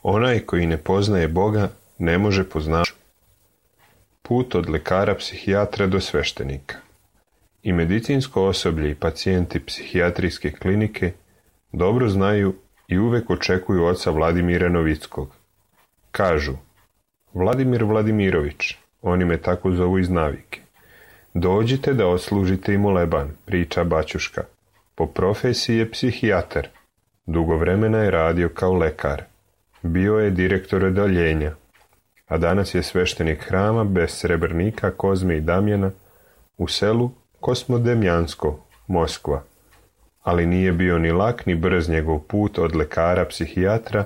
Onaj koji ne poznaje Boga ne može poznati. Put od lekara psihijatra do sveštenika. I medicinsko osoblje i pacijenti psihijatrijske klinike dobro znaju i uvek očekuju oca Vladimira Novickog. Kažu: Vladimir Vladimirović, oni me tako zovu iz navike. Dođite da odslužite i moleban, priča baćuška. Po profesiji je psihijatar. Dugo vremena je radio kao lekar. Bio je direktor odeljenja, a danas je sveštenik hrama bez Srebrnika, Kozme i Damjana u selu Kosmodemjansko, Moskva. Ali nije bio ni lak ni brz njegov put od lekara psihijatra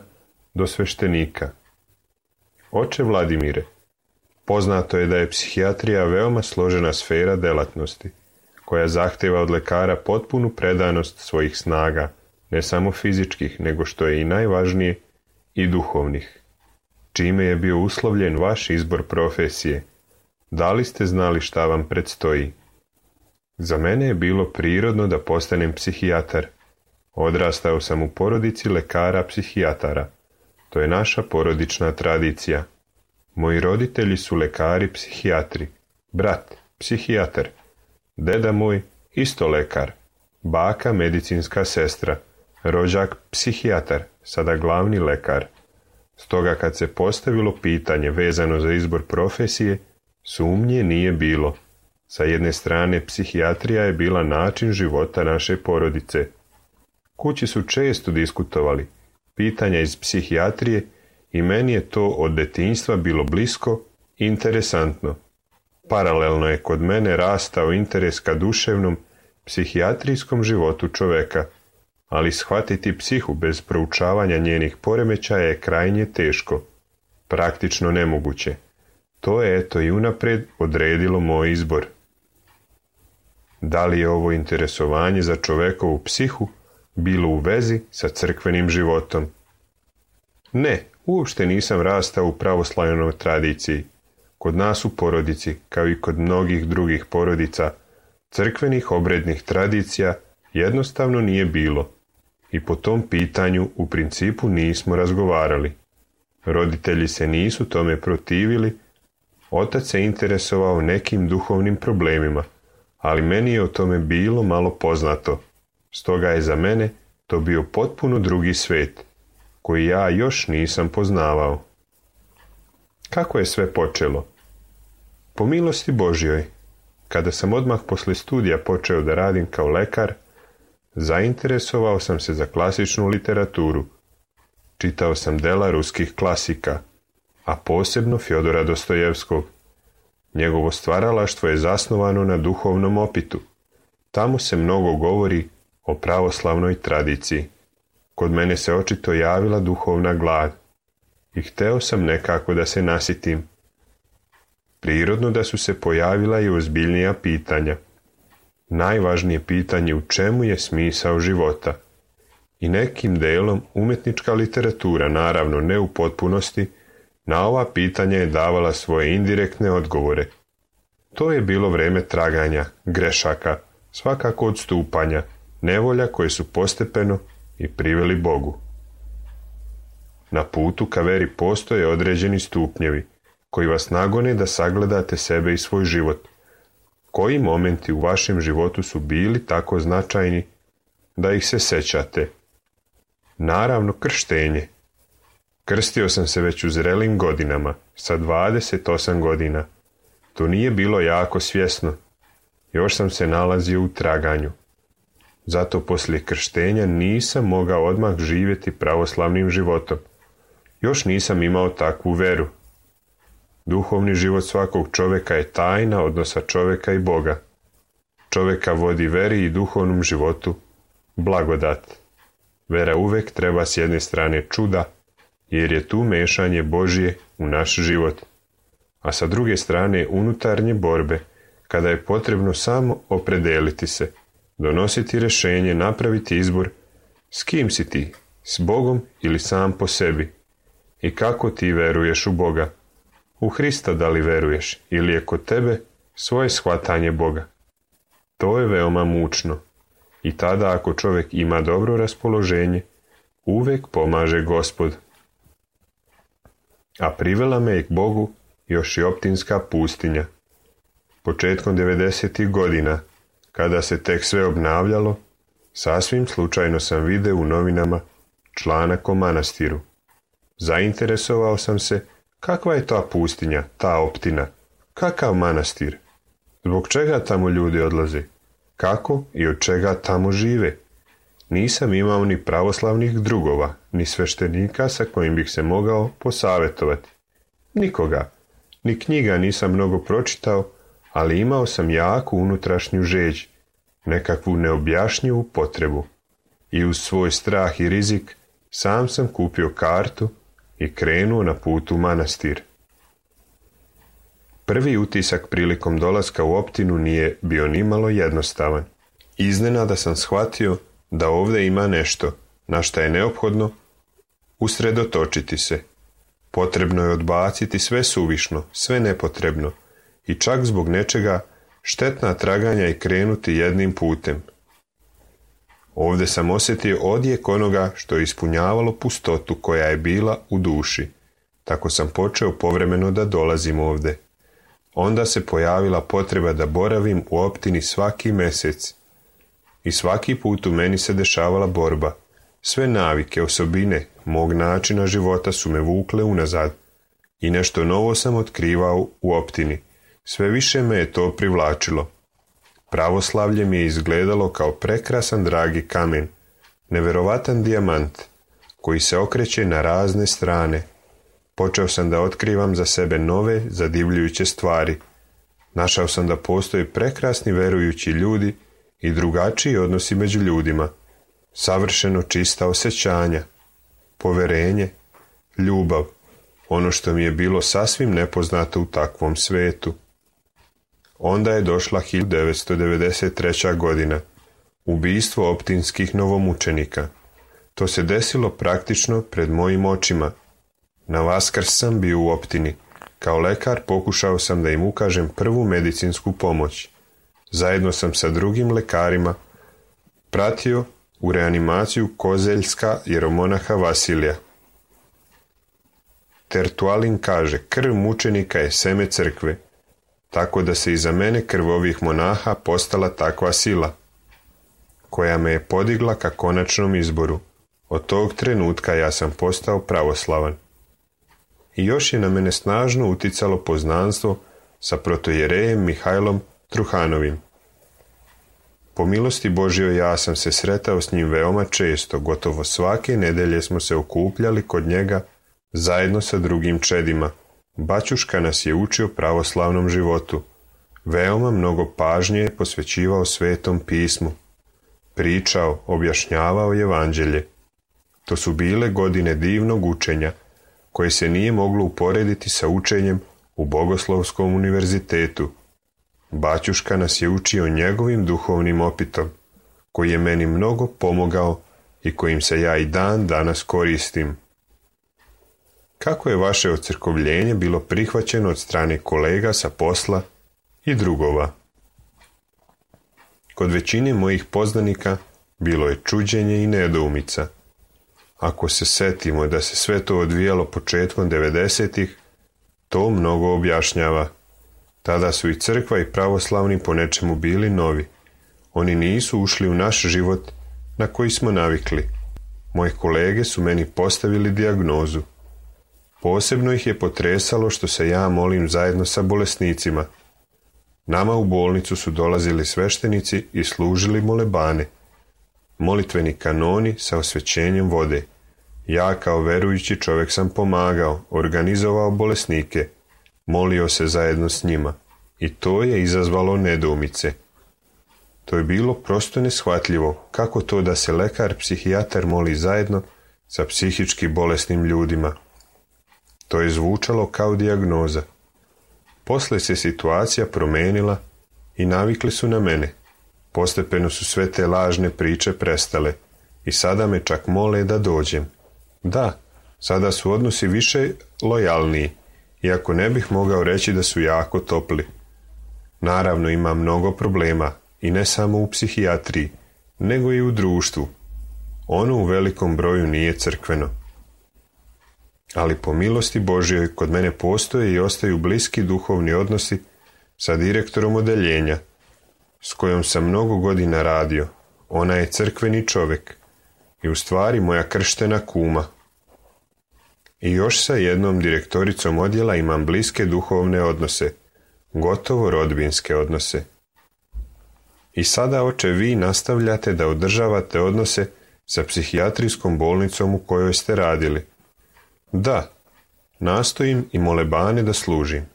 do sveštenika. Oče Vladimire, poznato je da je psihijatrija veoma složena sfera delatnosti, koja zahteva od lekara potpunu predanost svojih snaga, ne samo fizičkih, nego što je i najvažnije, i duhovnih. Čime je bio uslovljen vaš izbor profesije? Da li ste znali šta vam predstoji? Za mene je bilo prirodno da postanem psihijatar. Odrastao sam u porodici lekara psihijatara. To je naša porodična tradicija. Moji roditelji su lekari psihijatri. Brat, psihijatar. Deda moj, isto lekar. Baka, medicinska sestra. Rođak, psihijatar, sada glavni lekar. Stoga kad se postavilo pitanje vezano za izbor profesije, sumnje nije bilo. Sa jedne strane, psihijatrija je bila način života naše porodice. Kući su često diskutovali pitanja iz psihijatrije i meni je to od detinjstva bilo blisko i interesantno. Paralelno je kod mene rastao interes ka duševnom, psihijatrijskom životu čoveka, ali shvatiti psihu bez proučavanja njenih poremećaja je krajnje teško, praktično nemoguće. To je eto i unapred odredilo moj izbor. Da li je ovo interesovanje za čovekovu psihu bilo u vezi sa crkvenim životom? Ne, uopšte nisam rastao u pravoslavnoj tradiciji. Kod nas u porodici, kao i kod mnogih drugih porodica, crkvenih obrednih tradicija jednostavno nije bilo i po tom pitanju u principu nismo razgovarali. Roditelji se nisu tome protivili, otac se interesovao nekim duhovnim problemima, ali meni je o tome bilo malo poznato. Stoga je za mene to bio potpuno drugi svet, koji ja još nisam poznavao. Kako je sve počelo? Po milosti Božjoj, kada sam odmah posle studija počeo da radim kao lekar, zainteresovao sam se za klasičnu literaturu. Čitao sam dela ruskih klasika, a posebno Fjodora Dostojevskog. Njegovo stvaralaštvo je zasnovano na duhovnom opitu. Tamo se mnogo govori o pravoslavnoj tradiciji. Kod mene se očito javila duhovna glad i hteo sam nekako da se nasitim. Prirodno da su se pojavila i ozbiljnija pitanja. Najvažnije pitanje u čemu je smisao života. I nekim delom umetnička literatura, naravno ne u potpunosti, na ova pitanja je davala svoje indirektne odgovore. To je bilo vreme traganja, grešaka, svakako odstupanja, nevolja koje su postepeno i priveli Bogu. Na putu ka veri postoje određeni stupnjevi, koji vas nagone da sagledate sebe i svoj život. Koji momenti u vašem životu su bili tako značajni da ih se sećate? Naravno, krštenje. Krstio sam se već u zrelim godinama, sa 28 godina. To nije bilo jako svjesno. Još sam se nalazio u traganju. Zato poslije krštenja nisam mogao odmah živjeti pravoslavnim životom. Još nisam imao takvu veru. Duhovni život svakog čoveka je tajna odnosa čoveka i Boga. Čoveka vodi veri i duhovnom životu blagodat. Vera uvek treba s jedne strane čuda, jer je tu mešanje Božje u naš život, a sa druge strane unutarnje borbe, kada je potrebno samo opredeliti se, donositi rješenje, napraviti izbor, s kim si ti, s Bogom ili sam po sebi, i kako ti veruješ u Boga. U Hrista da li veruješ ili je kod tebe svoje shvatanje Boga. To je veoma mučno i tada ako čovjek ima dobro raspoloženje, uvek pomaže Gospod. a privela me i k Bogu još i optinska pustinja. Početkom 90. godina, kada se tek sve obnavljalo, sasvim slučajno sam video u novinama članak o manastiru. Zainteresovao sam se kakva je ta pustinja, ta optina, kakav manastir, zbog čega tamo ljudi odlaze, kako i od čega tamo žive. Nisam imao ni pravoslavnih drugova, ni sveštenika sa kojim bih se mogao posavjetovati. Nikoga, ni knjiga nisam mnogo pročitao, ali imao sam jaku unutrašnju žeđ, nekakvu neobjašnjivu potrebu. I uz svoj strah i rizik sam sam kupio kartu i krenuo na put u manastir. Prvi utisak prilikom dolaska u optinu nije bio nimalo jednostavan. Iznenada sam shvatio da ovdje ima nešto na šta je neophodno usredotočiti se. Potrebno je odbaciti sve suvišno, sve nepotrebno i čak zbog nečega štetna traganja i krenuti jednim putem. Ovdje sam osjetio odjek onoga što je ispunjavalo pustotu koja je bila u duši. Tako sam počeo povremeno da dolazim ovdje. Onda se pojavila potreba da boravim u optini svaki mjesec. I svaki put u meni se dešavala borba. Sve navike, osobine mog načina života su me vukle unazad. I nešto novo sam otkrivao u optini. Sve više me je to privlačilo. Pravoslavlje mi je izgledalo kao prekrasan dragi kamen, neverovatan dijamant, koji se okreće na razne strane. Počeo sam da otkrivam za sebe nove, zadivljujuće stvari. Našao sam da postoje prekrasni verujući ljudi i drugačiji odnosi među ljudima, savršeno čista osjećanja, poverenje, ljubav, ono što mi je bilo sasvim nepoznato u takvom svetu. Onda je došla 1993. godina, ubistvo optinskih novomučenika. To se desilo praktično pred mojim očima. Na Vaskrs sam bio u optini. Kao lekar pokušao sam da im ukažem prvu medicinsku pomoć. Zajedno sam sa drugim lekarima pratio u reanimaciju kozeljska jeromonaha Vasilija. Tertualin kaže, krv mučenika je seme crkve, tako da se iza mene krv ovih monaha postala takva sila, koja me je podigla ka konačnom izboru. Od tog trenutka ja sam postao pravoslavan. I još je na mene snažno uticalo poznanstvo sa protojerejem Mihajlom Truhanovim. Po milosti Božjoj ja sam se sretao s njim veoma često, gotovo svake nedelje smo se okupljali kod njega zajedno sa drugim čedima. Baćuška nas je učio pravoslavnom životu. Veoma mnogo pažnje je posvećivao Svetom pismu. Pričao, objašnjavao evanđelje. To su bile godine divnog učenja, koje se nije moglo uporediti sa učenjem u Bogoslovskom univerzitetu. Baćuška nas je učio njegovim duhovnim opitom, koji je meni mnogo pomogao i kojim se ja i dan danas koristim. Kako je vaše ocrkovljenje bilo prihvaćeno od strane kolega sa posla i drugova? Kod većine mojih poznanika bilo je čuđenje i nedoumica. Ako se setimo da se sve to odvijalo početkom 90-ih, to mnogo objašnjava. Tada su i crkva i pravoslavni po nečemu bili novi. Oni nisu ušli u naš život na koji smo navikli. Moji kolege su meni postavili dijagnozu. Posebno ih je potresalo što se ja molim zajedno sa bolesnicima. Nama u bolnicu su dolazili sveštenici i služili molebane. Molitveni kanoni sa osvećenjem vode. Ja kao verujući čovjek sam pomagao, organizovao bolesnike, molio se zajedno s njima i to je izazvalo nedoumice. To je bilo prosto neshvatljivo, kako to da se lekar psihijatar moli zajedno sa psihički bolesnim ljudima. To je zvučalo kao dijagnoza. Posle se situacija promenila i navikli su na mene. Postepeno su sve te lažne priče prestale i sada me čak mole da dođem. Da, sada su odnosi više lojalniji, iako ne bih mogao reći da su jako topli. Naravno ima mnogo problema i ne samo u psihijatriji, nego i u društvu. Ono u velikom broju nije crkveno. ali po milosti Božjoj kod mene postoje i ostaju bliski duhovni odnosi sa direktorom odeljenja, s kojom sam mnogo godina radio. Ona je crkveni čovjek i u stvari moja krštena kuma. I još sa jednom direktoricom odjela imam bliske duhovne odnose, gotovo rodbinske odnose. I sada, oče, vi nastavljate da održavate odnose sa psihijatrijskom bolnicom u kojoj ste radili. Da, nastojim i molebane da služim.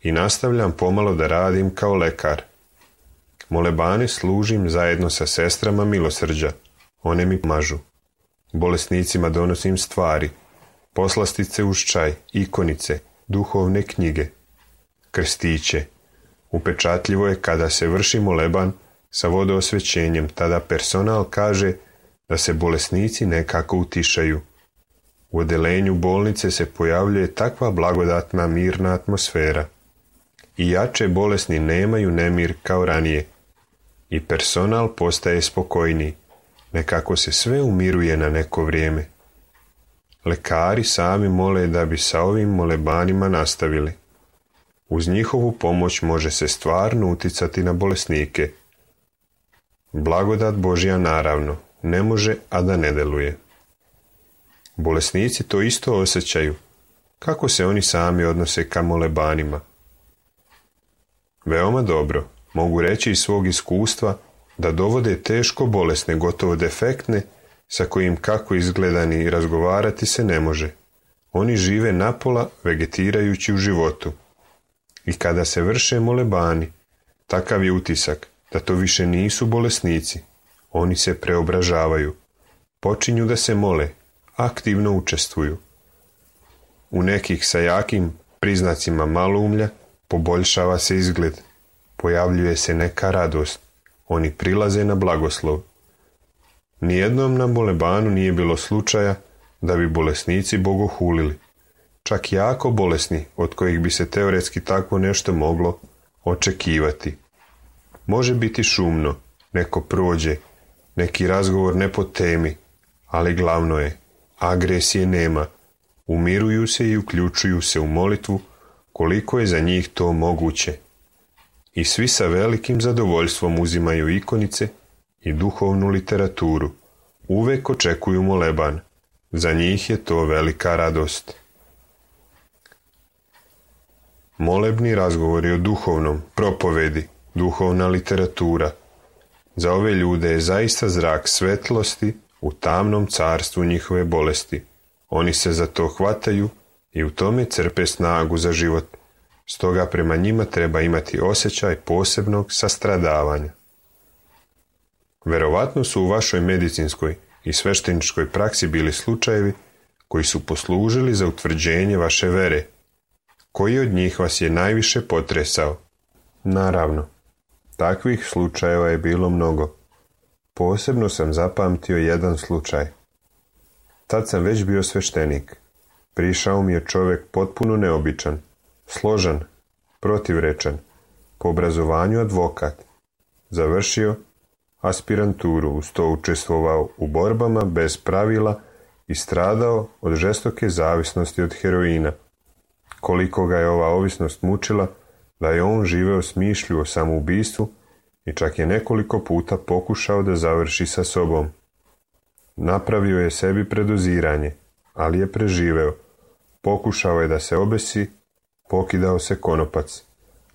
I nastavljam pomalo da radim kao lekar. Molebane služim zajedno sa sestrama milosrđa. One mi pomažu. Bolesnicima donosim stvari, poslastice uz čaj, ikonice, duhovne knjige, krstiće. Upečatljivo je kada se vrši moleban sa vodoosvećenjem, tada personal kaže da se bolesnici nekako utišaju. U odelenju bolnice se pojavljuje takva blagodatna mirna atmosfera. I jače bolesni nemaju nemir kao ranije. I personal postaje spokojniji. Nekako se sve umiruje na neko vrijeme. Lekari sami mole da bi sa ovim molebanima nastavili. Uz njihovu pomoć može se stvarno uticati na bolesnike. Blagodat Božja naravno ne može, a da ne deluje. Bolesnici to isto osjećaju. Kako se oni sami odnose ka molebanima? Veoma dobro, mogu reći iz svog iskustva da dovode teško bolesne, gotovo defektne, sa kojim kako izgledani razgovarati se ne može. Oni žive napola vegetirajući u životu. I kada se vrše molebani, takav je utisak da to više nisu bolesnici. Oni se preobražavaju, počinju da se mole, aktivno učestvuju. U nekih sa jakim priznacima maloumlja poboljšava se izgled, pojavljuje se neka radost, oni prilaze na blagoslov. Nijednom na molebanu nije bilo slučaja da bi bolesnici bogohulili, čak jako bolesni, od kojih bi se teoretski takvo nešto moglo očekivati. Može biti šumno, neko prođe, neki razgovor ne po temi, ali glavno je, agresije nema, umiruju se i uključuju se u molitvu koliko je za njih to moguće. I svi sa velikim zadovoljstvom uzimaju ikonice i duhovnu literaturu. Uvek očekuju moleban. Za njih je to velika radost. Molebni razgovori o duhovnom, propovedi, duhovna literatura. Za ove ljude je zaista zrak svetlosti u tamnom carstvu njihove bolesti. Oni se za to hvataju i u tome crpe snagu za život. Stoga prema njima treba imati osjećaj posebnog sastradavanja. Verovatno su u vašoj medicinskoj i svešteničkoj praksi bili slučajevi koji su poslužili za utvrđenje vaše vere. Koji od njih vas je najviše potresao? Naravno, takvih slučajeva je bilo mnogo. Posebno sam zapamtio jedan slučaj. Tad sam već bio sveštenik. Prišao mi je čovjek potpuno neobičan, složan, protivrečan, po obrazovanju advokat. Završio aspiranturu, uz to učestvovao u borbama bez pravila i stradao od žestoke zavisnosti od heroina. Koliko ga je ova ovisnost mučila, da je on živeo smišlju o samoubistvu i čak je nekoliko puta pokušao da završi sa sobom. Napravio je sebi predoziranje, ali je preživeo. Pokušao je da se obesi, pokidao se konopac,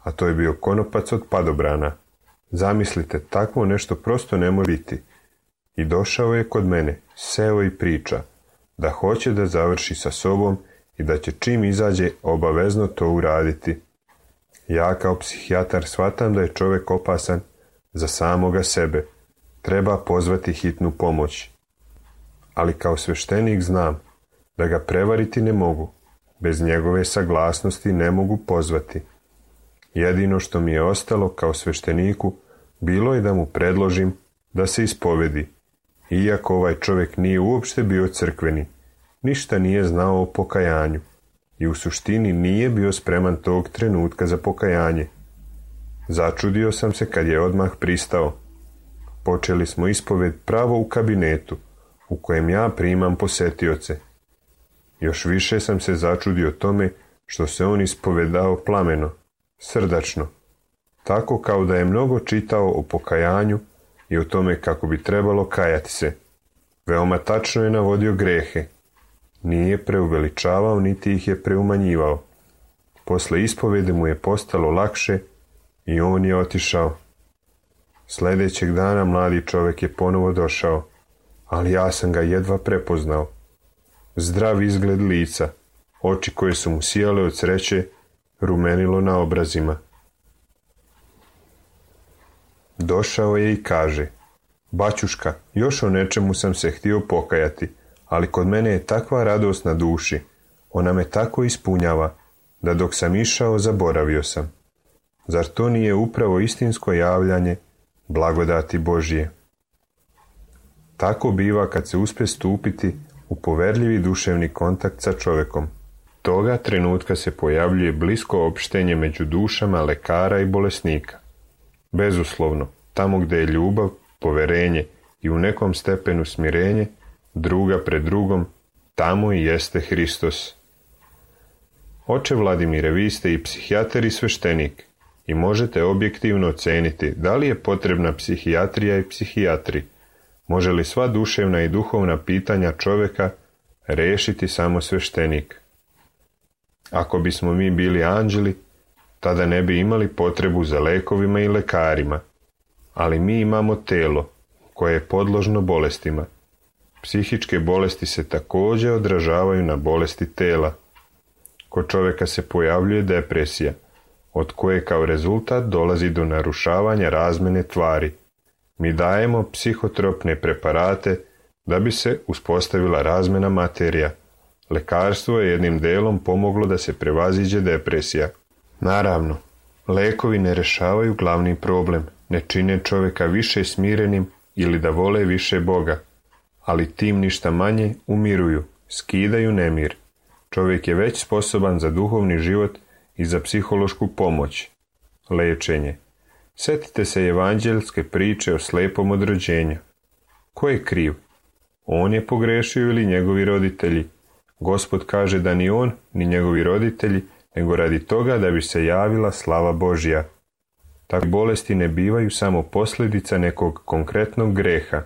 a to je bio konopac od padobrana. Zamislite, takvo nešto prosto ne može biti. I došao je kod mene, seo i priča, da hoće da završi sa sobom i da će čim izađe obavezno to uraditi. Ja kao psihijatar shvatam da je čovjek opasan za samoga sebe. Treba pozvati hitnu pomoć. Ali kao sveštenik znam da ga prevariti ne mogu. Bez njegove saglasnosti ne mogu pozvati. Jedino što mi je ostalo kao svešteniku bilo je da mu predložim da se ispovedi. Iako ovaj čovjek nije uopšte bio crkveni, ništa nije znao o pokajanju i u suštini nije bio spreman tog trenutka za pokajanje. Začudio sam se kad je odmah pristao. Počeli smo ispoved pravo u kabinetu u kojem ja primam posetioce. Još više sam se začudio tome što se on ispovedao plameno, srdačno, tako kao da je mnogo čitao o pokajanju i o tome kako bi trebalo kajati se. Veoma tačno je navodio grehe. Nije preuveličavao niti ih je preumanjivao. Posle ispovede mu je postalo lakše i on je otišao. Sljedećeg dana mladi čovjek je ponovo došao, ali ja sam ga jedva prepoznao. Zdrav izgled lica, oči koje su mu sijale od sreće, rumenilo na obrazima. Došao je i kaže: baćuška, još o nečemu sam se htio pokajati, ali kod mene je takva radost na duši, ona me tako ispunjava, da dok sam išao zaboravio sam. Zar to nije upravo istinsko javljanje blagodati Božje? Tako biva kad se uspije stupiti u poverljivi duševni kontakt sa čovjekom. Toga trenutka se pojavljuje blisko opštenje među dušama lekara i bolesnika. Bezuslovno, tamo gdje je ljubav, poverenje i u nekom stepenu smirenje, druga pred drugom, tamo i jeste Hristos. Oče Vladimire, vi ste i psihijatar i sveštenik i možete objektivno oceniti da li je potrebna psihijatrija i psihijatri. Može li sva duševna i duhovna pitanja čovjeka rešiti samo sveštenik? Ako bismo mi bili anđeli, tada ne bi imali potrebu za lekovima i lekarima, ali mi imamo telo koje je podložno bolestima. Psihičke bolesti se također odražavaju na bolesti tela. Kod čovjeka se pojavljuje depresija, od koje kao rezultat dolazi do narušavanja razmene tvari. Mi dajemo psihotropne preparate da bi se uspostavila razmena materija. Lekarstvo je jednim delom pomoglo da se prevaziđe depresija. Naravno, lekovi ne rešavaju glavni problem, ne čine čovjeka više smirenim ili da vole više Boga, ali tim ništa manje umiruju, skidaju nemir. Čovjek je već sposoban za duhovni život i za psihološku pomoć. Lečenje. Sjetite se evanđelske priče o slepom od rođenja. Ko je kriv? On je pogrešio ili njegovi roditelji? Gospod kaže da ni on, ni njegovi roditelji, nego radi toga da bi se javila slava Božja. Takve bolesti ne bivaju samo posljedica nekog konkretnog greha,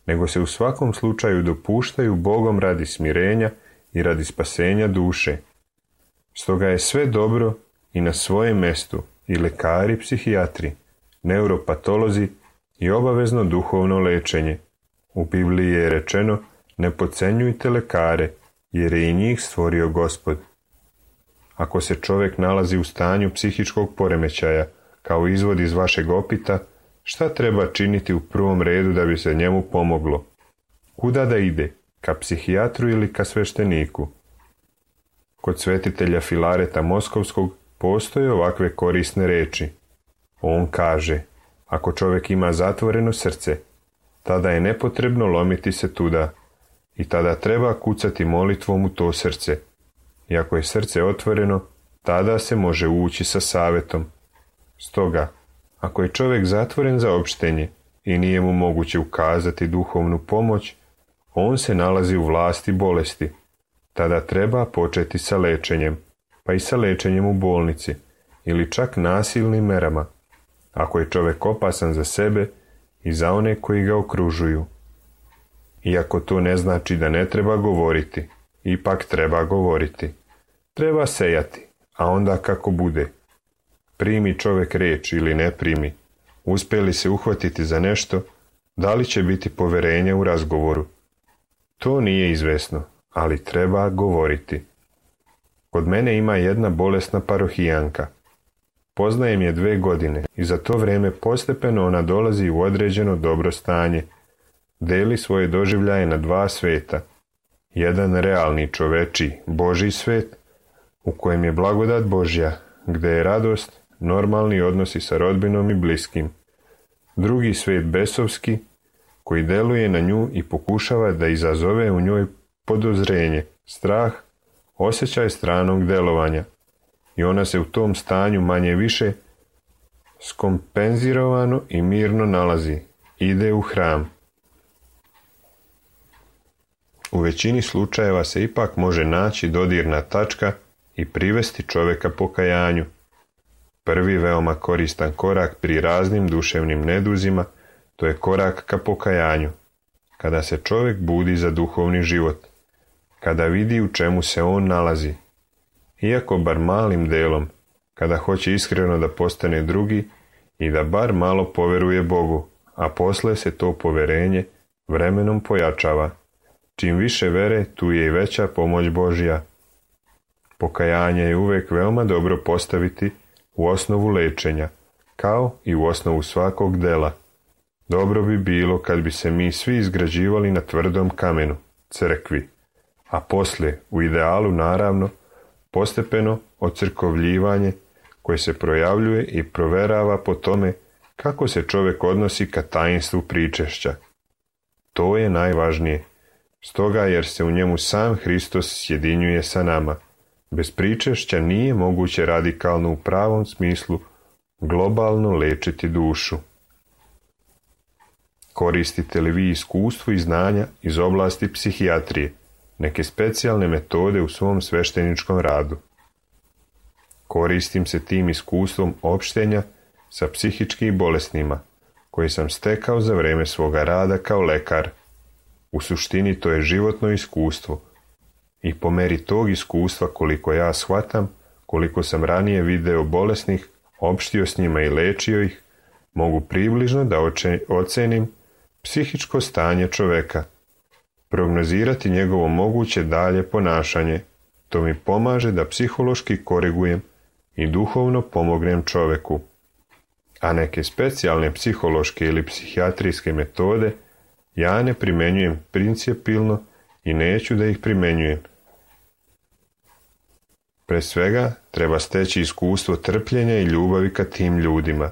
nego se u svakom slučaju dopuštaju Bogom radi smirenja i radi spasenja duše. Stoga je sve dobro i na svojem mestu, i lekari, psihijatri, neuropatolozi i obavezno duhovno lečenje. U Bibliji je rečeno: ne podcenjujte lekare, jer je i njih stvorio Gospod. Ako se čovjek nalazi u stanju psihičkog poremećaja, kao izvod iz vašeg opita, šta treba činiti u prvom redu da bi se njemu pomoglo? Kuda da ide? Ka psihijatru ili ka svešteniku? Kod svetitelja Filareta Moskovskog postoje ovakve korisne reči. On kaže: ako čovjek ima zatvoreno srce, tada je nepotrebno lomiti se tuda i tada treba kucati molitvom u to srce. I ako je srce otvoreno, tada se može ući sa savjetom. Stoga, ako je čovjek zatvoren za opštenje i nije mu moguće ukazati duhovnu pomoć, on se nalazi u vlasti bolesti. Tada treba početi sa lečenjem, pa i sa lečenjem u bolnici, ili čak nasilnim merama, ako je čovjek opasan za sebe i za one koji ga okružuju. Iako to ne znači da ne treba govoriti, ipak treba govoriti. Treba sejati, a onda kako bude. Primi čovjek riječ ili ne primi, uspije li se uhvatiti za nešto, da li će biti poverenja u razgovoru. To nije izvesno, ali treba govoriti. Kod mene ima jedna bolesna parohijanka. Poznajem je 2 godine i za to vrijeme postepeno ona dolazi u određeno dobro stanje. Deli svoje doživljaje na 2 sveta. Jedan realni čoveči, Božji svet, u kojem je blagodat Božja, gdje je radost, normalni odnosi sa rodbinom i bliskim. Drugi svet besovski, koji deluje na nju i pokušava da izazove u njoj podozrenje, strah, osjećaj stranog delovanja. I ona se u tom stanju manje više skompenzirovano i mirno nalazi. Ide u hram. u većini slučajeva se ipak može naći dodirna tačka i privesti čovjeka pokajanju. Prvi veoma koristan korak pri raznim duševnim neduzima, to je korak ka pokajanju. Kada se čovjek budi za duhovni život, kada vidi u čemu se on nalazi, iako bar malim delom, kada hoće iskreno da postane drugi i da bar malo poveruje Bogu, a posle se to poverenje vremenom pojačava. Čim više vere, tu je i veća pomoć Božja. Pokajanje je uvek veoma dobro postaviti u osnovu lečenja, kao i u osnovu svakog dela. Dobro bi bilo kad bi se mi svi izgrađivali na tvrdom kamenu, crkvi, a poslije, u idealu naravno, postepeno ocrkovljivanje koje se projavljuje i proverava po tome kako se čovjek odnosi ka tajnstvu pričešća. To je najvažnije, stoga jer se u njemu sam Hristos sjedinjuje sa nama. Bez pričešća nije moguće radikalno u pravom smislu globalno lečiti dušu. Koristite li vi iskustvo i znanja iz oblasti psihijatrije, neke specijalne metode u svom svešteničkom radu? Koristim se tim iskustvom opštenja sa psihičkim bolesnima, koje sam stekao za vreme svoga rada kao lekar. U suštini to je životno iskustvo i po meri tog iskustva koliko ja shvatam, koliko sam ranije video bolesnih, opštio s njima i lečio ih, mogu približno da ocenim psihičko stanje čoveka, prognozirati njegovo moguće dalje ponašanje. To mi pomaže da psihološki korigujem i duhovno pomognem čoveku. A neke specijalne psihološke ili psihijatrijske metode ja ne primenjujem principijelno i neću da ih primenjujem. Pre svega treba steći iskustvo trpljenja i ljubavi ka tim ljudima.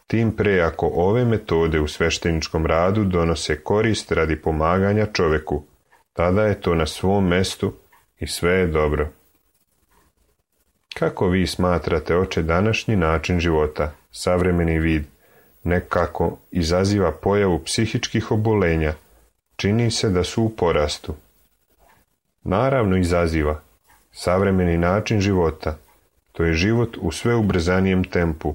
Tim pre ako ove metode u svešteničkom radu donose korist radi pomaganja čoveku, tada je to na svom mestu i sve je dobro. Kako vi smatrate, oče, današnji način života, savremeni vid, nekako izaziva pojavu psihičkih obolenja? Čini se da su u porastu. Naravno izaziva. Savremeni način života, to je život u sve ubrzanijem tempu.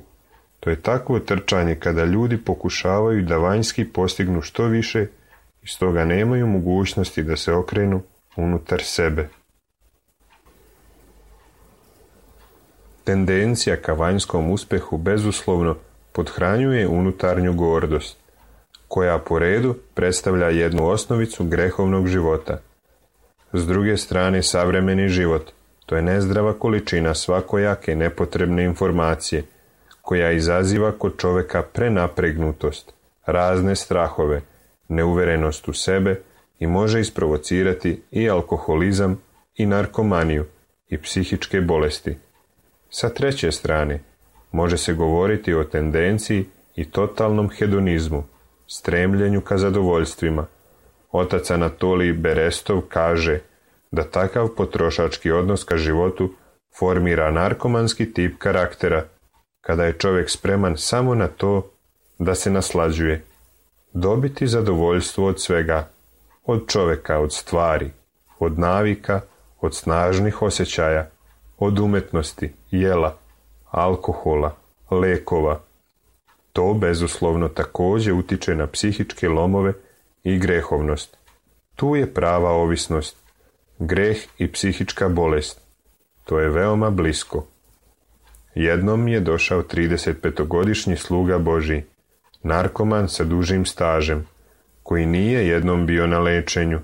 To je takvo trčanje kada ljudi pokušavaju da vanjski postignu što više i stoga nemaju mogućnosti da se okrenu unutar sebe. Tendencija ka vanjskom uspehu bezuslovno pothranjuje unutarnju gordost, koja po redu predstavlja jednu osnovicu grehovnog života. S druge strane, savremeni život, to je nezdrava količina svakojake nepotrebne informacije, koja izaziva kod čoveka prenapregnutost, razne strahove, neuverenost u sebe i može isprovocirati i alkoholizam i narkomaniju i psihičke bolesti. Sa treće strane, može se govoriti o tendenciji i totalnom hedonizmu, stremljenju ka zadovoljstvima. Otac Anatolij Berestov kaže da takav potrošački odnos ka životu formira narkomanski tip karaktera, kada je čovjek spreman samo na to da se naslađuje, dobiti zadovoljstvo od svega, od čovjeka, od stvari, od navika, od snažnih osjećaja, od umetnosti, jela, alkohola, lekova. To bezuslovno također utiče na psihičke lomove i grehovnost. Tu je prava ovisnost, greh i psihička bolest. To je veoma blisko. Jednom je došao 35-godišnji sluga Božji, narkoman sa dužim stažem, koji nije jednom bio na lečenju.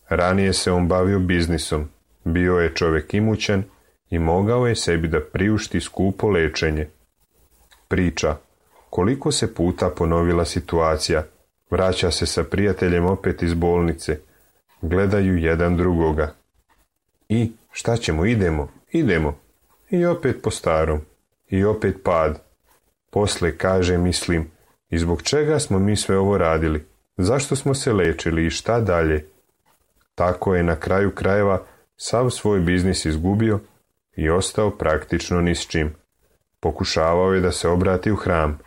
Ranije se on bavio biznisom, bio je čovjek imućan i mogao je sebi da priušti skupo lečenje. Priča, koliko se puta ponovila situacija, vraća se sa prijateljem opet iz bolnice, gledaju jedan drugoga. I šta ćemo, idemo. I opet po starom, i opet pad. Posle kaže, mislim, i zbog čega smo mi sve ovo radili? Zašto smo se lečili i šta dalje? Tako je na kraju krajeva sav svoj biznis izgubio i ostao praktično ni s čim. Pokušavao je da se obrati u hram.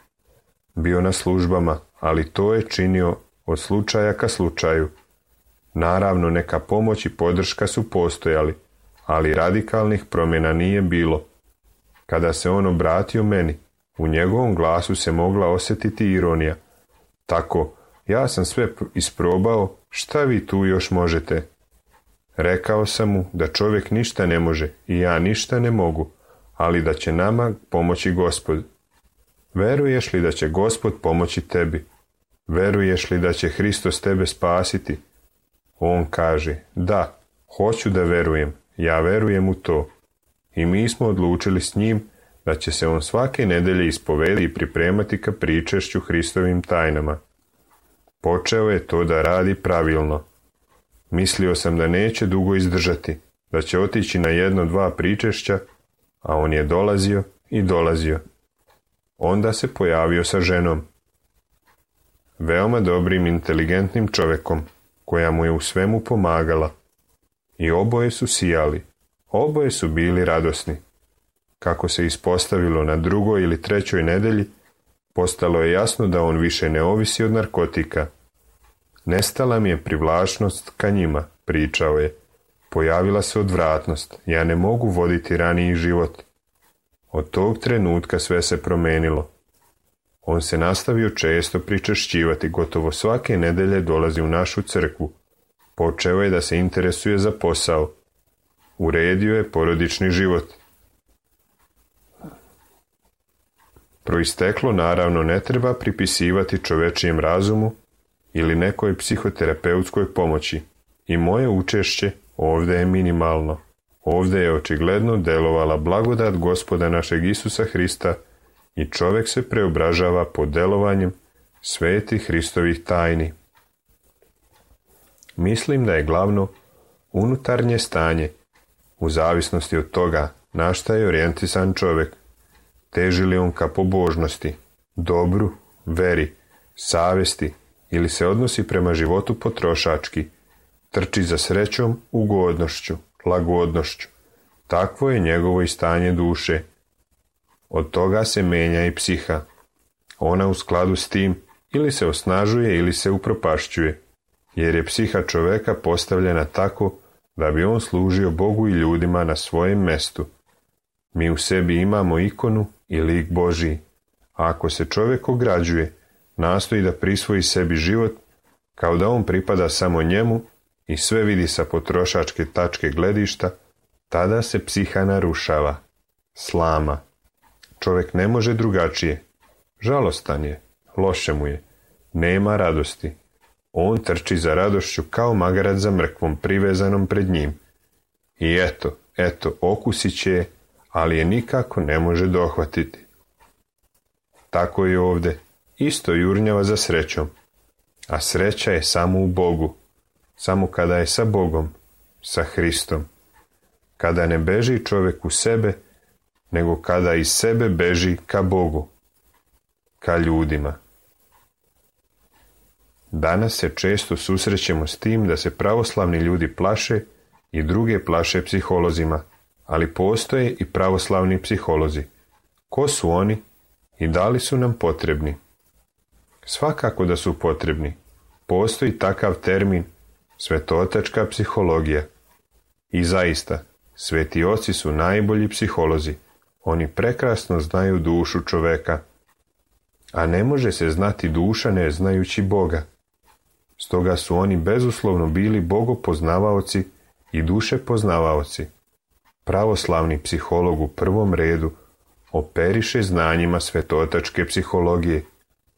Bio na službama, ali to je činio od slučaja ka slučaju. Naravno, neka pomoć i podrška su postojali, ali radikalnih promjena nije bilo. Kada se on obratio meni, u njegovom glasu se mogla osjetiti ironija. Tako, ja sam sve isprobao, šta vi tu još možete? Rekao sam mu da čovjek ništa ne može i ja ništa ne mogu, ali da će nama pomoći Gospod. Veruješ li da će Gospod pomoći tebi? Veruješ li da će Hristos tebe spasiti? On kaže, da, hoću da verujem, ja verujem u to. I mi smo odlučili s njim da će se on svake nedelje ispovedati i pripremati ka pričešću Hristovim tajnama. Počeo je to da radi pravilno. Mislio sam da neće dugo izdržati, da će otići na 1-2 pričešća, a on je dolazio i dolazio. Onda se pojavio sa ženom. Veoma dobrim, inteligentnim čovjekom, koja mu je u svemu pomagala. I oboje su sijali, oboje su bili radosni. Kako se ispostavilo na 2. ili 3. nedelji, postalo je jasno da on više ne ovisi od narkotika. Nestala mi je privlačnost ka njima, pričao je. Pojavila se odvratnost, ja ne mogu voditi raniji život. Od tog trenutka sve se promenilo. On se nastavio često pričešćivati, gotovo svake nedelje dolazi u našu crkvu. Počeo je da se interesuje za posao. Uredio je porodični život. Proisteklo naravno ne treba pripisivati čovečijem razumu ili nekoj psihoterapeutskoj pomoći. I moje učešće ovdje je minimalno. Ovdje je očigledno delovala blagodat Gospoda našeg Isusa Hrista i čovjek se preobražava pod delovanjem svetih Hristovih tajni. Mislim da je glavno unutarnje stanje, u zavisnosti od toga na šta je orijentisan čovjek. Teži li on ka pobožnosti, dobru, veri, savjesti ili se odnosi prema životu potrošački, trči za srećom, ugodnošću, lagodnošću. Takvo je njegovo i stanje duše. Od toga se menja i psiha. Ona u skladu s tim ili se osnažuje ili se upropašćuje, jer je psiha čoveka postavljena tako da bi on služio Bogu i ljudima na svojem mestu. Mi u sebi imamo ikonu i lik Božiji, a ako se čovjek ograđuje, nastoji da prisvoji sebi život, kao da on pripada samo njemu i sve vidi sa potrošačke tačke gledišta, tada se psiha narušava, slama. Čovjek ne može drugačije. Žalostan je, loše mu je, nema radosti. On trči za radošću kao magarac za mrkvom privezanom pred njim. I eto, okusit će je, ali je nikako ne može dohvatiti. Tako je ovdje, isto jurnjava za srećom. A sreća je samo u Bogu, samo kada je sa Bogom, sa Hristom. Kada ne beži čovjek u sebe, nego kada iz sebe beži ka Bogu, ka ljudima. Danas se često susrećemo s tim da se pravoslavni ljudi plaše i druge plaše psiholozima, ali postoje i pravoslavni psiholozi. Ko su oni i da li su nam potrebni? Svakako da su potrebni. Postoji takav termin svetotačka psihologija. I zaista, sveti oci su najbolji psiholozi. Oni prekrasno znaju dušu čoveka. A ne može se znati duša ne znajući Boga. Stoga su oni bezuslovno bili bogopoznavaoci i duše poznavaoci. Pravoslavni psiholog u prvom redu operiše znanjima svetotačke psihologije,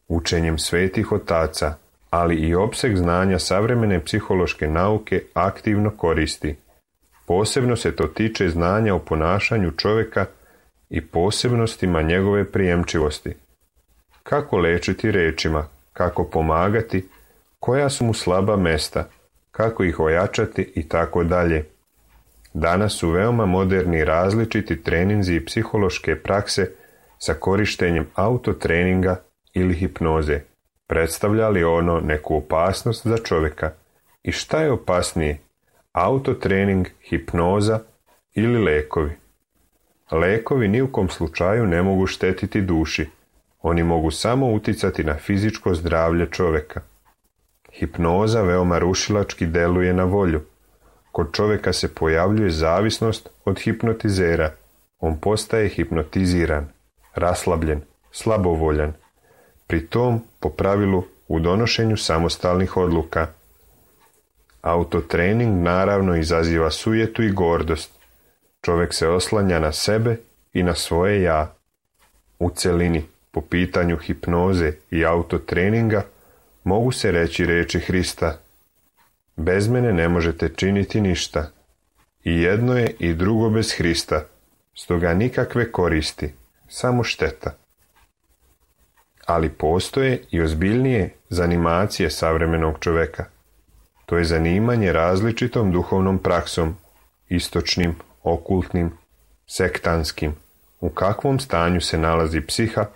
učenjem svetih otaca, ali i opseg znanja savremene psihološke nauke aktivno koristi. Posebno se to tiče znanja o ponašanju čovjeka i posebnostima njegove prijemčivosti. Kako lečiti rečima, kako pomagati, koja su mu slaba mesta, kako ih ojačati i tako dalje. Danas su veoma moderni različiti treninzi i psihološke prakse sa korištenjem autotreninga ili hipnoze. Predstavlja li ono neku opasnost za čovjeka? I šta je opasnije? Autotrening, hipnoza ili lekovi? Lekovi ni u kom slučaju ne mogu štetiti duši. Oni mogu samo uticati na fizičko zdravlje čovjeka. Hipnoza veoma rušilački deluje na volju. Kod čovjeka se pojavljuje zavisnost od hipnotizera. On postaje hipnotiziran, raslabljen, slabovoljan. Pri tom, po pravilu, u donošenju samostalnih odluka. Autotrening naravno izaziva sujetu i gordost. Čovjek se oslanja na sebe i na svoje ja. U celini, po pitanju hipnoze i autotreninga, mogu se reći riječi Hrista: bez mene ne možete činiti ništa. I jedno je i drugo bez Hrista, stoga nikakve koristi, samo šteta. Ali postoje i ozbiljnije zanimacije savremenog čovjeka. To je zanimanje različitom duhovnom praksom, istočnim, okultnim, sektanskim. U kakvom stanju se nalazi psiha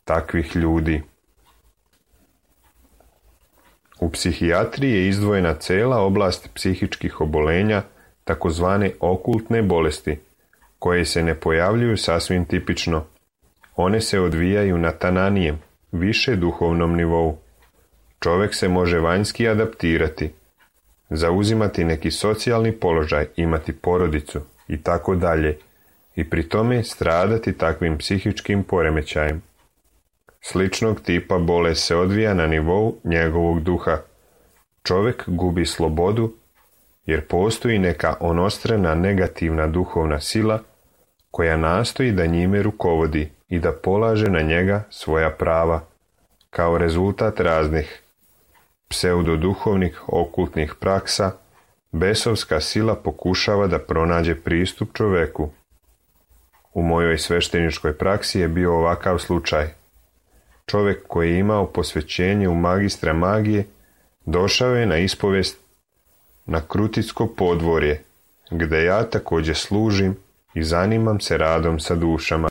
takvih ljudi? U psihijatriji je izdvojena cela oblast psihičkih obolenja, takozvane okultne bolesti, koje se ne pojavljuju sasvim tipično. One se odvijaju na tananijem, više duhovnom nivou. Čovjek se može vanjski adaptirati, zauzimati neki socijalni položaj, imati porodicu i tako dalje, i pri tome stradati takvim psihičkim poremećajem. Sličnog tipa bolest se odvija na nivou njegovog duha. Čovjek gubi slobodu jer postoji neka onostrena negativna duhovna sila koja nastoji da njime rukovodi i da polaže na njega svoja prava. Kao rezultat raznih pseudoduhovnih okultnih praksa, besovska sila pokušava da pronađe pristup čovjeku. U mojoj svešteničkoj praksi je bio ovakav slučaj. Čovjek koji je imao posvećenje u magistra magije došao je na ispovest na Krutitsko podvorje, gde ja također služim i zanimam se radom sa dušama.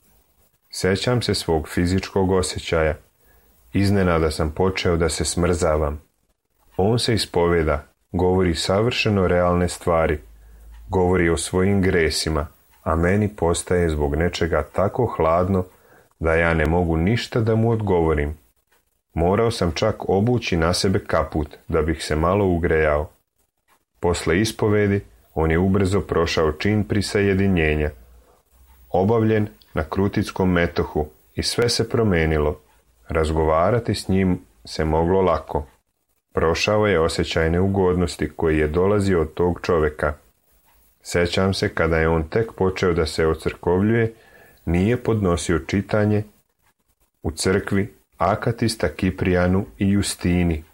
Sjećam se svog fizičkog osjećaja. Iznenada sam počeo da se smrzavam. On se ispoveda, govori savršeno realne stvari, govori o svojim gresima, a meni postaje zbog nečega tako hladno da ja ne mogu ništa da mu odgovorim. Morao sam čak obući na sebe kaput da bih se malo ugrejao. Posle ispovedi on je ubrzo prošao čin prisajedinjenja, obavljen na Krutitskom metohu, i sve se promenilo. Razgovarati s njim se moglo lako. Prošao je osjećaj neugodnosti koji je dolazio od tog čovjeka. Sjećam se kada je on tek počeo da se ocrkovljuje, nije podnosio čitanje u crkvi Akatista Kiprijanu i Justini.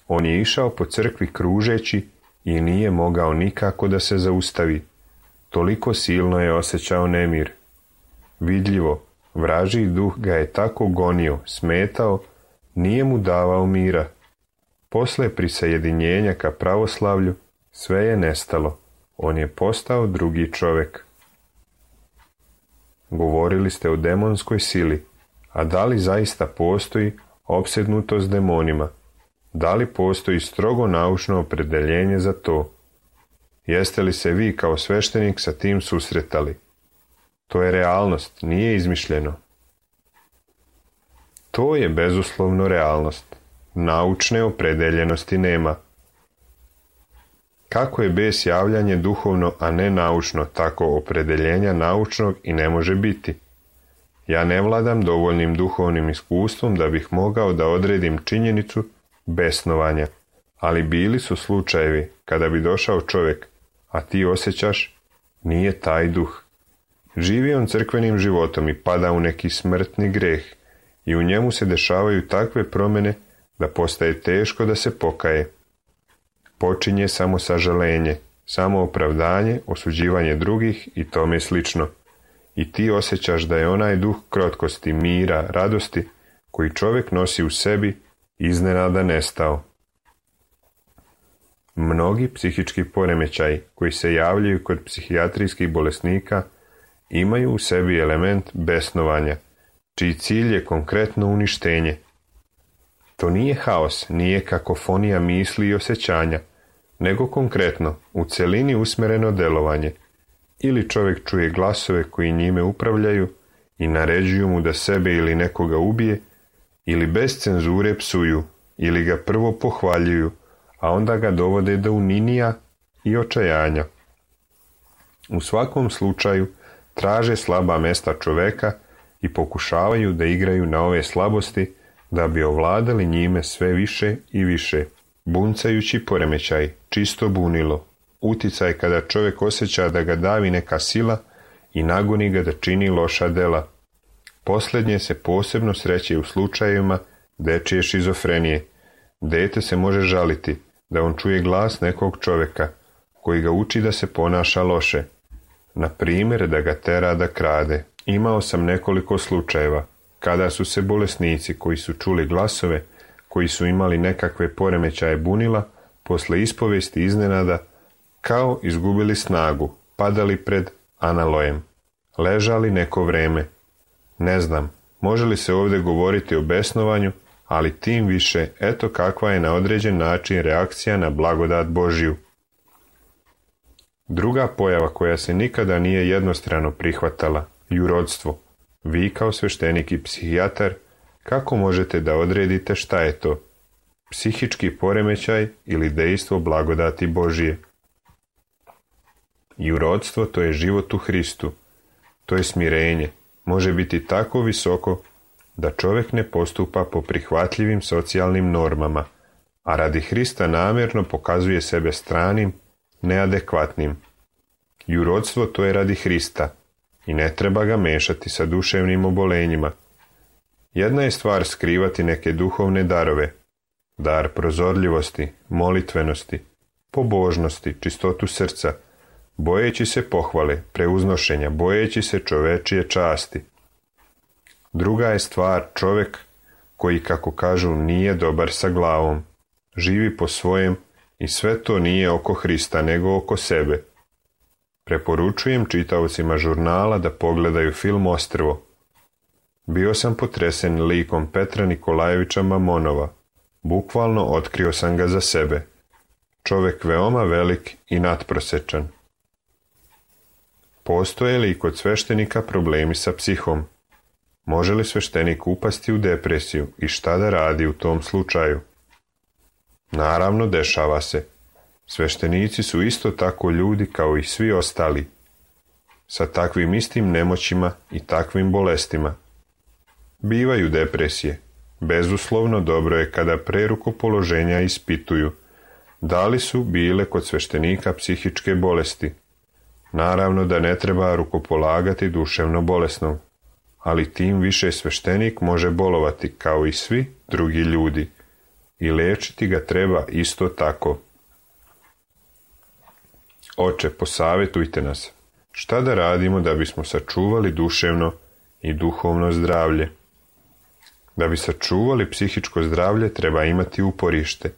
On je išao po crkvi kružeći i nije mogao nikako da se zaustavi. Toliko silno je osjećao nemir. Vidljivo, vražji duh ga je tako gonio, smetao, nije mu davao mira. Posle prisajedinjenja ka pravoslavlju sve je nestalo. On je postao drugi čovjek. Govorili ste o demonskoj sili, a da li zaista postoji opsednutost demonima? Da li postoji strogo naučno opredeljenje za to? Jeste li se vi kao sveštenik sa tim susretali? To je realnost, nije izmišljeno. To je bezuslovno realnost. Naučne opredeljenosti nema. Kako je bes javljanje duhovno, a ne naučno, tako opredeljenja naučnog i ne može biti. Ja ne vladam dovoljnim duhovnim iskustvom da bih mogao da odredim činjenicu besnovanja, ali bili su slučajevi kada bi došao čovjek, a ti osjećaš, nije taj duh. Živi on crkvenim životom i pada u neki smrtni greh i u njemu se dešavaju takve promjene da postaje teško da se pokaje. Počinje samo sažalenje, samo opravdanje, osuđivanje drugih i tome slično. I ti osjećaš da je onaj duh krotkosti, mira, radosti koji čovjek nosi u sebi iznenada nestao. Mnogi psihički poremećaji koji se javljaju kod psihijatrijskih bolesnika imaju u sebi element besnovanja, čiji cilj je konkretno uništenje. To nije haos, nije kakofonija misli i osjećanja, nego konkretno, u celini usmjereno delovanje. Ili čovjek čuje glasove koji njime upravljaju i naređuju mu da sebe ili nekoga ubije, ili bez cenzure psuju, ili ga prvo pohvaljuju, a onda ga dovode do uninija i očajanja. U svakom slučaju traže slaba mesta čoveka i pokušavaju da igraju na ove slabosti da bi ovladali njime sve više i više. Buncajući poremećaj, čisto bunilo, uticaj kada čovjek osjeća da ga davi neka sila i nagoni ga da čini loša dela. Posljednje se posebno sreće u slučajevima dečije šizofrenije. Dete se može žaliti da on čuje glas nekog čovjeka koji ga uči da se ponaša loše. Na primjer, da ga tera da krade. Imao sam nekoliko slučajeva kada su se bolesnici koji su čuli glasove, koji su imali nekakve poremećaje bunila, posle ispovesti iznenada, kao izgubili snagu, padali pred analojem. Ležali neko vreme. Ne znam, može li se ovdje govoriti o besnovanju, ali tim više, eto kakva je na određen način reakcija na blagodat Božju. Druga pojava koja se nikada nije jednostrano prihvatala, jurodstvo. Vi kao sveštenik i psihijatar, kako možete da odredite šta je to? Psihički poremećaj ili dejstvo blagodati Božje? Jurodstvo to je život u Hristu. To je smirenje. Može biti tako visoko da čovjek ne postupa po prihvatljivim socijalnim normama, a radi Hrista namjerno pokazuje sebe stranim, neadekvatnim. Jurodstvo to je radi Hrista i ne treba ga mešati sa duševnim obolenjima. Jedna je stvar skrivati neke duhovne darove, dar prozorljivosti, molitvenosti, pobožnosti, čistotu srca, bojeći se pohvale, preuznošenja, bojeći se čovečije časti. Druga je stvar čovjek koji, kako kažu, nije dobar sa glavom, živi po svojem i sve to nije oko Hrista nego oko sebe. Preporučujem čitaocima žurnala da pogledaju film Ostrvo. Bio sam potresen likom Petra Nikolajevića Mamonova. Bukvalno otkrio sam ga za sebe. Čovjek veoma velik i natprosečan. Postoje li kod sveštenika problemi sa psihom? Može li sveštenik upasti u depresiju i šta da radi u tom slučaju? Naravno, dešava se. Sveštenici su isto tako ljudi kao i svi ostali, sa takvim istim nemoćima i takvim bolestima. Bivaju depresije. Bezuslovno dobro je kada pre rukopoloženja ispituju da li su bile kod sveštenika psihičke bolesti. Naravno da ne treba rukopolagati duševno bolesnom, ali tim više sveštenik može bolovati kao i svi drugi ljudi i lečiti ga treba isto tako. Oče, posavjetujte nas. Šta da radimo da bismo sačuvali duševno i duhovno zdravlje? Da bi sačuvali psihičko zdravlje treba imati uporište.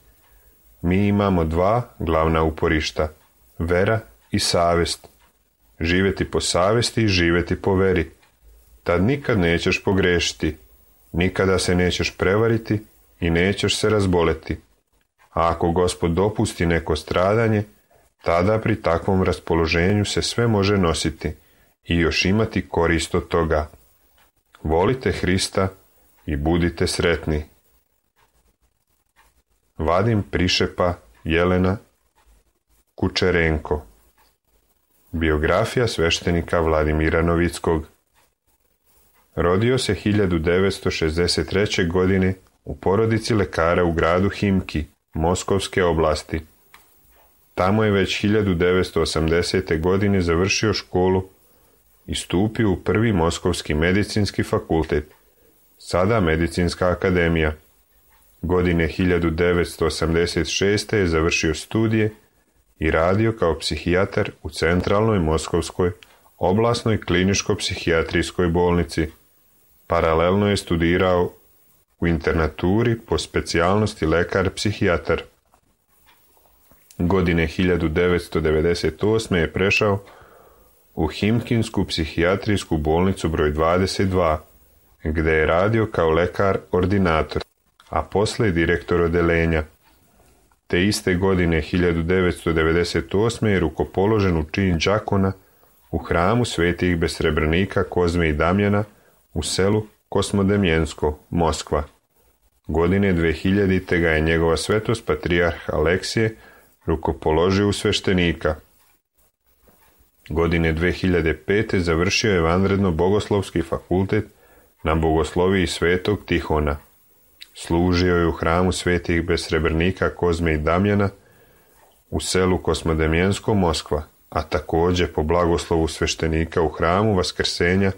Mi imamo dva glavna uporišta, vera i savjest. Živjeti po savjesti i živjeti po veri. Tad nikad nećeš pogrešiti, nikada se nećeš prevariti i nećeš se razboleti. A ako Gospod dopusti neko stradanje, tada pri takvom raspoloženju se sve može nositi i još imati korist od toga. Volite Hrista i budite sretni. Vadim Prišepa Jelena Kučerenko. Biografija sveštenika Vladimira Novickog. Rodio se 1963. godine u porodici lekara u gradu Himki, Moskovske oblasti. Tamo je već 1980. godine završio školu i stupio u prvi Moskovski medicinski fakultet, sada Medicinska akademija. Godine 1986. je završio studije i radio kao psihijatar u centralnoj Moskovskoj oblasnoj kliničko-psihijatrijskoj bolnici. Paralelno je studirao u internaturi po specijalnosti lekar-psihijatar. Godine 1998. je prešao u Himkinsku psihijatrijsku bolnicu broj 22, gdje je radio kao lekar-ordinator, a poslije direktor odelenja. Te iste godine 1998. je rukopoložen u čin đakona u hramu svetih besrebrenika Kozme i Damjana u selu Kosmodemjensko, Moskva. Godine 2000. ga je njegova svetost patrijarh Aleksije rukopoložio u sveštenika. Godine 2005. završio je vanredno bogoslovski fakultet na bogosloviji Svetog Tihona. Služio je u hramu svetih besrebrnika Kozme i Damjana u selu Kosmodemjensko, Moskva, a također po blagoslovu sveštenika u hramu Vaskrsenja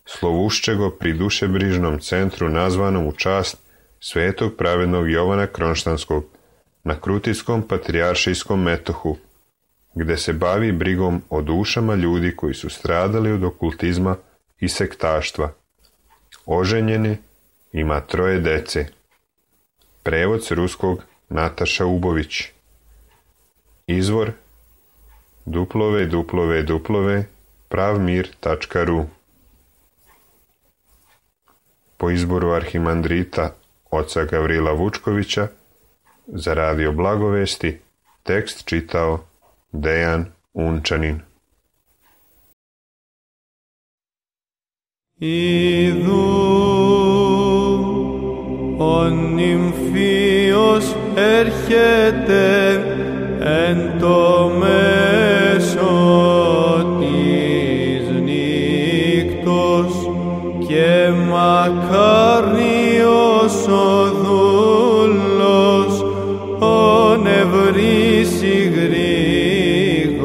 Slovuščego pri dušebrižnom centru nazvanom u čast svetog pravednog Jovana Kronštanskog na Krutitskom patrijaršijskom metohu, gde se bavi brigom o dušama ljudi koji su stradali od okultizma i sektaštva. Oženjeni, ima 3 dece. Prevod s ruskog Nataša Ubović. Izvor www.pravmir.ru. Po izboru arhimandrita oca Gavrila Vučkovića za radio Blagovesti tekst čitao Dejan Unčanin. Idού ο νυμφίος έρχεται εν το μέσο της νύκτος και μακάριος ο δούλος ο νευρίσει γρήγορούντα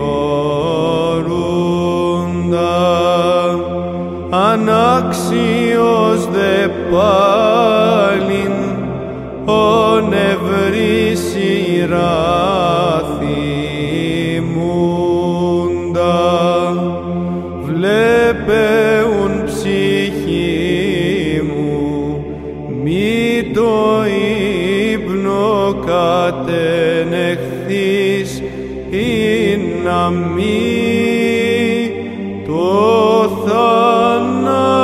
ανάξιος δε πάλιν ο νευρίσει ράθιμούντα βλέπεουν ψυχή μου μη το ύπνο κατενεχθείς ή να μη το θάνατο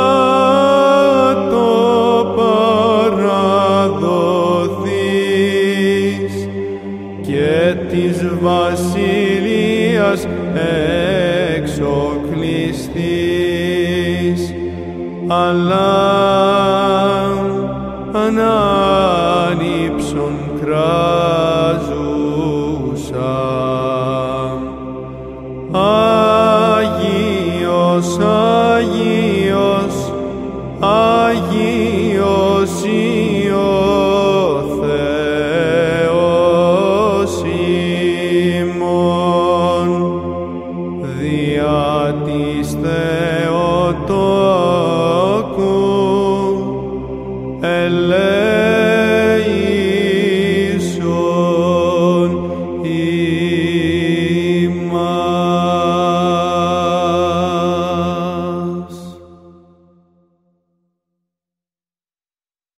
παραδοθείς και της βασιλείας εξοκλειστείς, αλλά ανάνυψον κράζουσα. Άγιος, Άγιος, Άγιος ο Θεός ημών, δια της Θεοτόκου ελέησον ημάς.